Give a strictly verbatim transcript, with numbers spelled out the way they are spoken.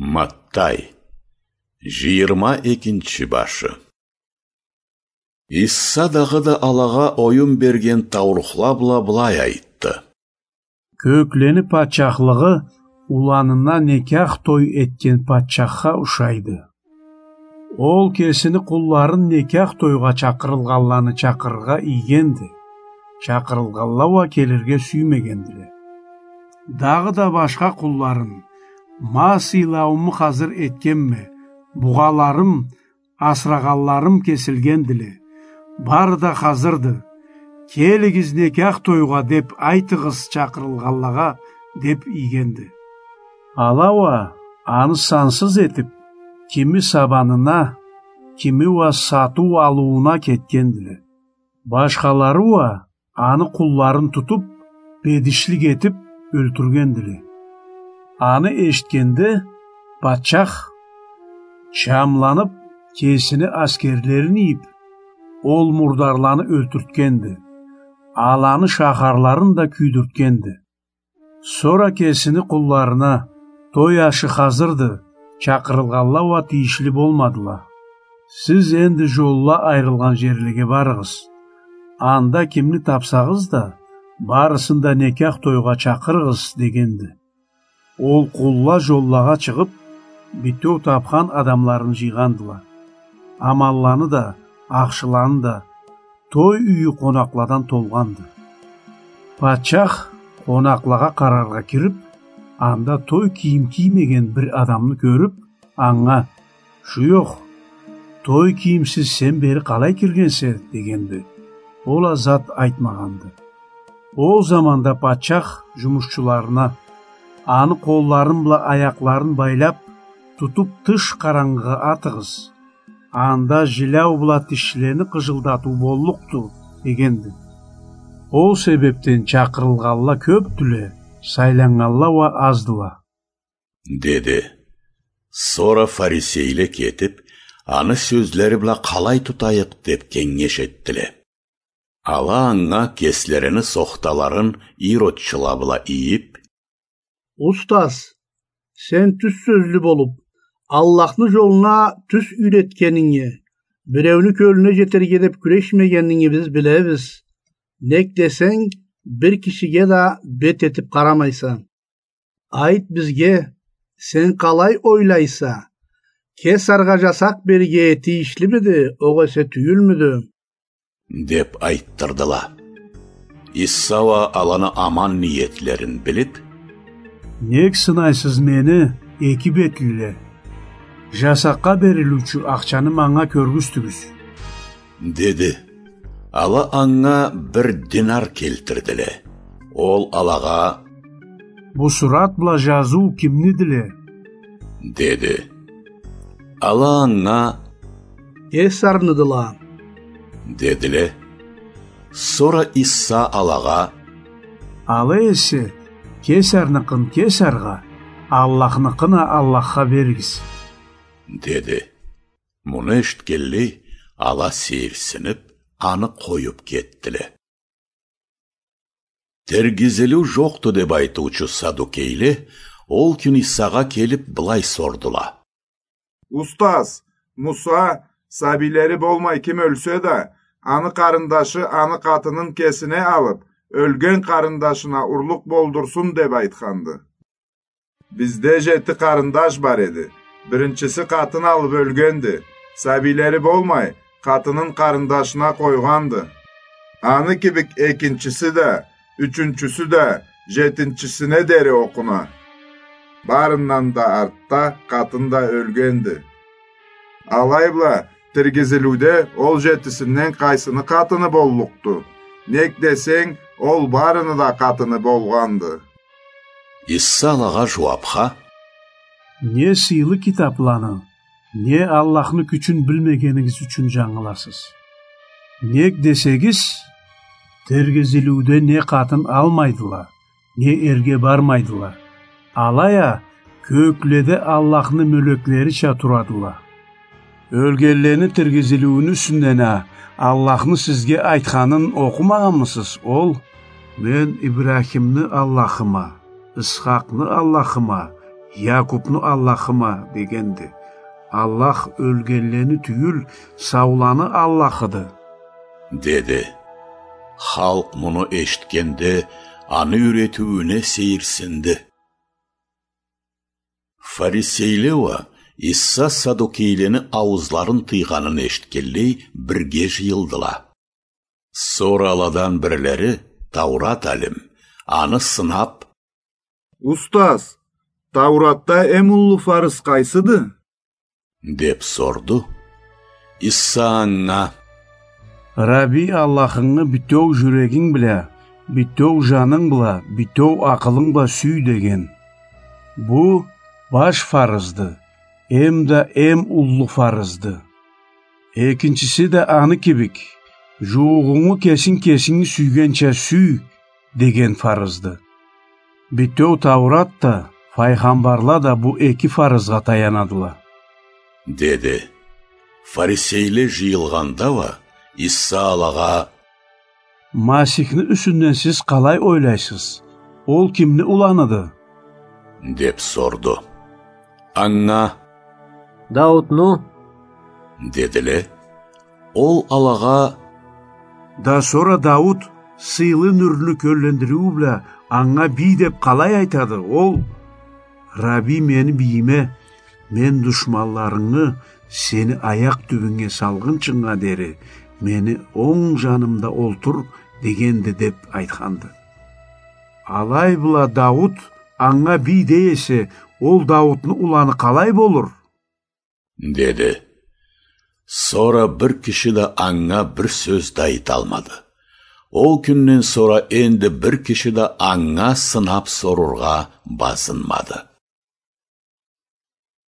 Маттай, жыйырма экинчи башы. Иса дагъыда алагъа оюн берген таурухла бла былай айтды: Кёклени патчахлыгъы уланына некях той этген патчахха ушайды. Ол кесини къулларын некях тойгъа чакъырылгъанланы чакъырыргъа ийгенди. Чакъырылгъанла уа келирге сюймегендиле. Дагъыда башха къулларын: Ма сыйлаууму хазыр этгенме, бугъаларым, асырагъанларым кесилгендиле. Бары да хазырды. Келигиз некях тойгъа деп айтыгъыз чакъырылгъанлагъа, деп ийгенди. Ала уа аны сансыз этип, кими сабанына, кими уа сатыу-алыууна кетгендиле. Башхалары уа аны къулларын тутуп, бедишлик этип, ёлтюргендиле. Аны эшитгенде, патчах, чамланып, кесини аскерлерин ийип, ол мурдарланы ёлтюртгенди. Аланы шахарларын да кюйдюртгенди. Сора кесини къулларына: Той ашы хазырды, чакъырылгъанла уа тийишли болмадыла. Сиз энди жолла айрылгъан жерлеге барыгъыз. Анда кимни тапсагъыз да, барысын да некях тойгъа чакъырыгъыз, дегенди. Ол къулла жоллагъа чыгъып, битеу тапхан адамларын жыйгъандыла. Аманланы да, ахшыланы да, той юйю къонакъладан толгъанды. Патчах къонакълагъа къараргъа кирип, анда той кийим киймеген бир адамны кёрюп, анга: Шуёх, той кийимсиз сен бери къалай киргенсе? — дегенди. Ол а зат айтмагъанды. Ол заманда патчах жумушчуларына: Аны къолларын бла аякъларын байлап, тутуп тыш къарангыгъа атыгъыз. Анда жиляу бла тишлени къыжылдатыу боллукъду, — дегенди. Ол себепден чакъырылгъанла кёпдюле, сайланнганла уа аздыла, — деди. Сора фарисейле кетип, аны сёзлери бла къалай тутайыкъ деп кенгеш этдиле. Ала анга кеслерини сохталарын иродчула бла ийип: Устаз, сен тюз сёзлю болуп, Аллахны жолуна тюз юйретгенинги, биреуню кёлюне жетерге деп кюрешмегенинги биз билебиз. Нек десенг, бир кишиге да бет этип къарамайса. Айт бизге, сен къалай ойлайса, Кесаргъа жасакъ берирге тийишлимиди, огъесе тюйюлмюдю? — деп айтдырдыла. Иса уа аланы аман ниетлерин билип: Нек сынайсыз мени, эки бетлиле? Жасакъгъа берилиучю ахчаны манга кёргюзтюгюз, — деди. Ала анга бир динар келтирдиле. Ол алагъа: Бу сурат бла жазыу кимнидиле? — деди. Ала анга: Кесарныдыла, — дедиле. Сора Иса алагъа: Ала эсе, Кесарныкъын Кесаргъа, Аллахныкъын а Аллахха беригиз, — деди. Муну эшитгенлей, ала сейирсинип, аны къоюп кетдиле. Тиргизилиу жокъду деп айтыучу садукейле ол кюн Исагъа келип, былай сордула: Устаз, Муса, сабийлери болмай ким ёлсе да, аны къарындашы аны къатынын кесине алып, ёлген къарындашына урлукъ болдурсун деп айтханды. Бизде жети къарындаш бар эди. Биринчиси къатын алып ёлгенди. Сабийлери болмай, къатынын къарындашына къойгъанды. Аны кибик экинчиси да, ючюнчюсю да, жетинчисине дери окъуна. Барындан да артда къатын да ёлгенди. Алай бла, тиргизилиуде ол жетисинден къайсыны къатыны боллукъду? Нек десенг, ол барыны да къатыны болгъанды. Иса алагъа жууапха: Не сыйлы китапланы, не Аллахны кючюн билмегенигиз ючюн жангыласыз. Нек десегиз, тиргизилиуде не къатын алмайдыла, не эрге бармайдыла. Алай а кёкледе Аллахны мёлеклерича турадыла. Ёлгенлени тиргизилиуню юсюнден а Аллахны сизге айтханын окъумагъанмысыз? Ол: Мен Ибрахимни Аллахыма, Исхакъны Аллахыма, «Якубну Аллахыма», — дегенди. «Аллах ёлгенлени тюйюл, сауланы Аллахыды», — деди. Халкъ муну эшитгенде, аны юйретиуюне сейирсинди. Фарисейле уа Иса садукейлени ауузларын тыйгъанын эшитгенлей, бирге жыйылдыла. Сора аладан бирлери, Таурат алим, аны сынап: «Устаз, Тауратда эм уллу фарыз къайсыды?» — деп сорду. Иса анга: «Рабби Аллахынгы бютеу жюрегинг бла, бютеу жанынг бла, бютеу акъылынг бла сюй», — деген. Бу баш фарызды, эм да эм уллу фарызды. Экинчиси да аны кибик: «Жууугъунгу кесинг кесинги сюйгенча сюй», — деген фарызды. Бютеу Таурат да, файгъамбарла да бу эки фарызгъа таянадыла, — деди. Фарисейле жыйылгъанда уа Иса алагъа: «Масихни юсюнден сиз къалай ойлайсыз? Ол кимни уланыды?» — деп сорду. Анга: «Даутну», — дедиле. Ол алагъа: «Да сора Даут сыйлы нюрню кёллендириу бла анга бий деп къалай айтады? Ол: „Рабби мени бийиме, мен душманларынгы сени аякъ тюбюнге салгъынчынга дери мени онг жанымда олтур“ дегенди», — деп айтханды. Алай бла Даут анга бий дей эсе, ол Даутну уланы къалай болур? — деди. Сора бир киши да анга бир сёз да айталмады. Ол кюнден сора энди бир киши да анга сынап сорургъа базынмады.